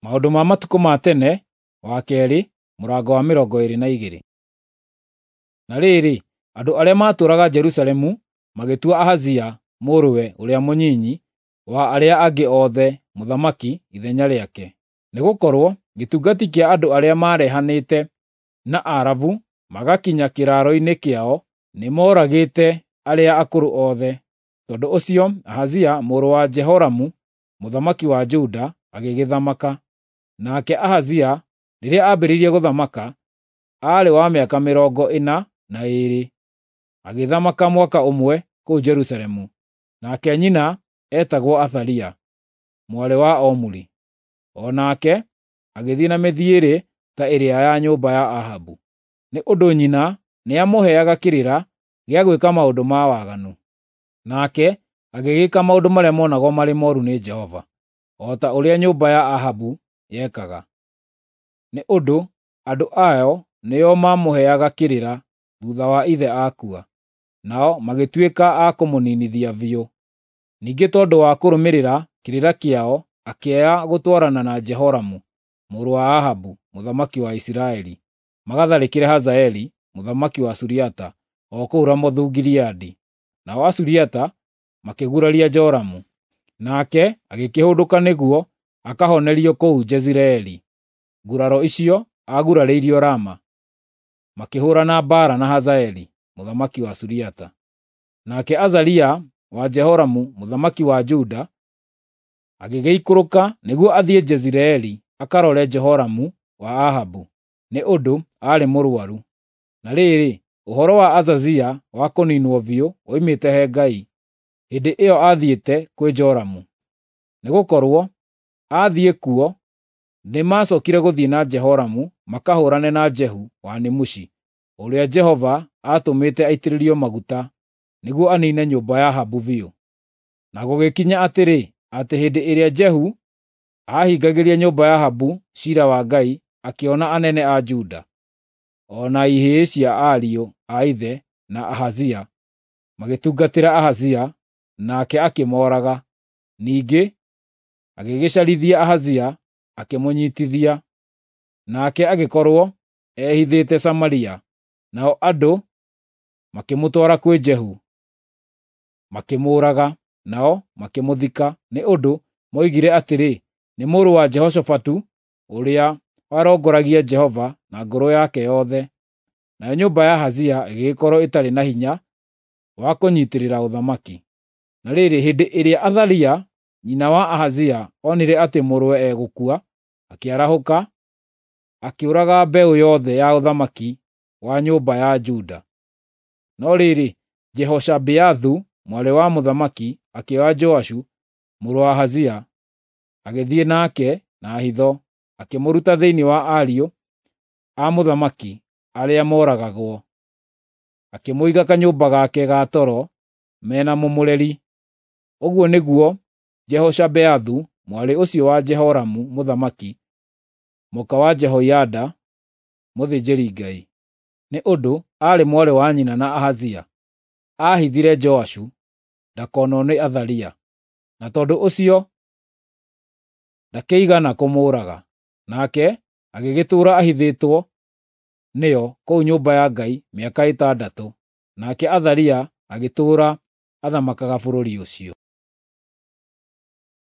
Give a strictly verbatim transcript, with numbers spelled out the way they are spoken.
Maũndũ ma matukũ ma tene wa keerĩ mũrango wa mĩrongo ĩĩrĩ na igĩrĩ. Na rĩrĩ, andũ arĩa maatũũraga Jerusalemu magĩtua Ahazia mũrũwe ũrĩa mũnyinyi wa arĩa angĩ othe mũthamaki ithenya rĩake, nĩgũkorwo gĩtungati kĩa andũ arĩa maarehanĩte na Arabu magakinya kĩraaro-inĩ kĩao nĩmooragĩte arĩa akũrũ othe. Tondũ ũcio Ahazia mũrũ wa Jehoramu mũthamaki wa Juda agĩgĩthamaka. Nake Ahazia rĩrĩa aambĩrĩirie gũthamaka aarĩ wa mĩaka mĩrongo ĩna na ĩĩrĩ, agĩthamaka mwaka ũmwe kũu Jerusalemu. Nake nyina eetagwo Athalia, mwarĩ wa Omuri. O nake agĩthiĩ na mĩthiĩre ta ĩrĩa ya nyũmba ya Ahabu, nĩ ũndũ nyina nĩamũheaga kĩrĩra gĩa gwĩka maũndũ ma waganu. Nake agĩgĩka maũndũ marĩa monagwo marĩ mooru nĩ Jehova, o ta ũrĩa nyũmba ya Ahabu yekaga, nĩ ũndũ andũ ayo nĩo maamũheaga kĩrĩra thuutha wa ithe akua, nao magĩtuĩka a kũmũniinithia biũ. Ningĩ tondũ wa kũrũmĩrĩra kĩrĩra kĩao akĩaga gũtwarana na Jehoramu mũrũ wa Ahabu mũthamaki wa Isiraeli, magatharĩkĩre Hazaeli mũthamaki wa Suriata o kũu Ramothu-Gileadi. Nao Asuriata makĩguraria Joramu, nake agĩkĩhũndũka nĩguo akahonerio kũu Jezireeli. Nguraro icio aagurarĩirio Rama, makĩhũũrana mbaara na Hazaeli mũthamaki wa Suriata. Nake Azaria wa Jehoramu mũthamaki wa Juda agĩgĩikũrũka nĩguo athiĩ Jezireeli akarore Jehoramu wa Ahabu, nĩ ũndũ aarĩ mũrũaru. Na rĩrĩ, ũhoro wa Azazia wa kũniinwo biũ woimĩte he Ngai, hĩndĩ ĩyo aathiĩte kwĩ Joramu. Nĩgũkorwo aathiĩ kuo nĩmacookire gũthiĩ na Jehoramu makahũũrane na Jehu wa Nimushi, ũrĩa Jehova aatũmĩte aitĩrĩrio maguta nĩguo aniine nyũmba ya Ahabu biũ. Na gũgĩkinya atĩrĩ, atĩ hĩndĩ ĩrĩa Jehu aahingagĩria nyũmba ya Ahabu ciira wa Ngai, akĩona anene a Juda, o na ihĩĩ cia ariũ a ithe na Ahazia, magĩtungatĩra Ahazia, nake akĩmooraga. Ningĩ agĩgĩcarithia Ahazia akĩmũnyiitithia, nake agĩkorwo ehithĩte Samaria, nao andũ makĩmũtwara kwĩ Jehu, makĩmũũraga, nao makĩmũthika, nĩ ũndũ moigire atĩrĩ, “Nĩ mũrũ wa Jehoshafatu ũrĩa warongoragia Jehova na ngoro yake yothe.” Nayo nyũmba ya Ahazia ĩgĩgĩkorwo ĩtarĩ na hinya wa kũnyiitĩrĩra ũthamaki. Na rĩrĩ, hĩndĩ ĩrĩa Athalia nyina wa Ahazia onire atĩ mũrũwe egũkua, akĩarahũka, akĩũraga mbeũ yothe ya ũthamaki wa nyũmba ya Juda. No rĩrĩ, Jehoshabeathu mwarĩ wa mũthamaki akĩoya Joashu mũrũ wa Ahazia, agĩthiĩ nake na hitho, akĩmũruta thĩinĩ wa ariũ a mũthamaki arĩa mooragagwo, akĩmũiga kanyũmba gake ga toro me na mũmũreri. Ũguo nĩguo Jehoshabeathu mwarĩ ũcio wa Jehoramu mũthamaki, mũka wa Jehoiada mũthĩnjĩri-Ngai, nĩ ũndũ aarĩ mwarĩ wa nyina na Ahazia, aahithire Joashu ndakonwo nĩ Athalia, na tondũ ũcio ndakĩigana kũmũũraga. Nake agĩgĩtũũra ahithĩtwo nĩo kũu nyũmba ya Ngai mĩaka ĩtandatũ, nake Athalia agĩtũũra athamakaga bũrũri ũcio.